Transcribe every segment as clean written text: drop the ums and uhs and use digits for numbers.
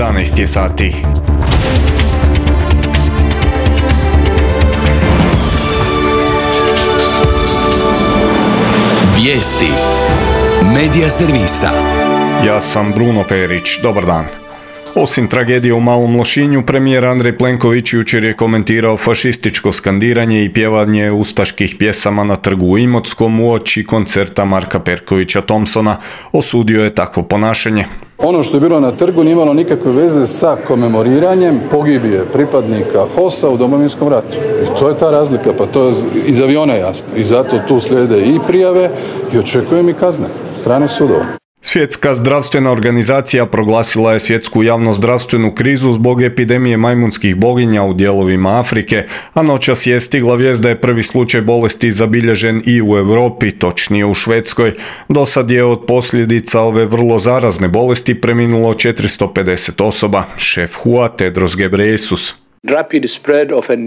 11 je sati. Vijesti Medija servisa. Ja sam Bruno Perić, dobar dan. Osim tragedije u Malom Lošinju, premijer Andrej Plenković jučer je komentirao fašističko skandiranje i pjevanje ustaških pjesama na trgu u Imotskom uoči koncerta Marka Perkovića Thompsona. Osudio je takvo ponašanje. Ono što je bilo na trgu nije imalo nikakve veze sa komemoriranjem pogibije pripadnika HOS-a u Domovinskom ratu. I to je ta razlika, pa to je iz aviona jasno. I zato tu slijede i prijave i očekujem i kazne strane sudova. Svjetska zdravstvena organizacija proglasila je svjetsku javnozdravstvenu krizu zbog epidemije majmunskih boginja u dijelovima Afrike, a noćas je stigla vijest da je prvi slučaj bolesti zabilježen i u Europi, točnije u Švedskoj. Do sad je od posljedica ove vrlo zarazne bolesti preminulo 450 osoba. Šef WHO-a Tedros Ghebreyesus.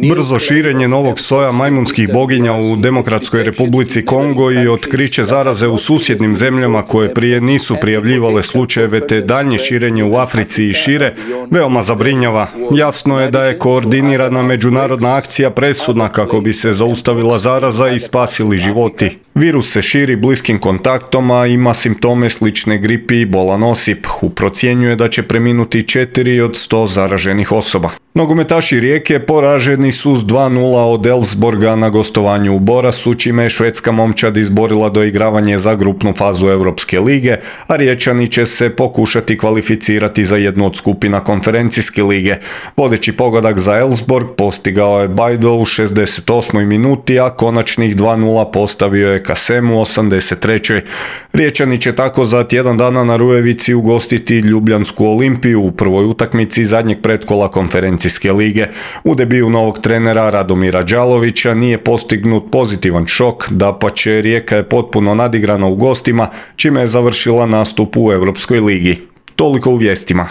Brzo širenje novog soja majmunskih boginja u Demokratskoj Republici Kongo i otkriće zaraze u susjednim zemljama koje prije nisu prijavljivale slučajeve te daljnje širenje u Africi i šire veoma zabrinjava. Jasno je da je koordinirana međunarodna akcija presudna kako bi se zaustavila zaraza i spasili životi. Virus se širi bliskim kontaktom, a ima simptome slične gripi i bolan osip. WHO procjenjuje da će preminuti 4 od 100 zaraženih osoba. Nogometaši Rijeke poraženi su s 2:0 od Elfsborga na gostovanju u Borasu, čime je švedska momčad izborila doigravanje za grupnu fazu Europske lige, a Riječani će se pokušati kvalificirati za jednu od skupina konferencijske lige. Vodeći pogodak za Elfsborg postigao je Bajdo u 68. minuti, a konačnih 2:0 postavio je Kasem u 83. Riječani će tako za tjedan dana na Rujevici ugostiti Ljubljansku Olimpiju u prvoj utakmici zadnjeg pretkola konferencijske lige. U debiju novog trenera Radomira Đalovića nije postignut pozitivan šok, dapače Rijeka je potpuno nadigrana u gostima, čime je završila nastup u Europskoj ligi. Toliko u vijestima.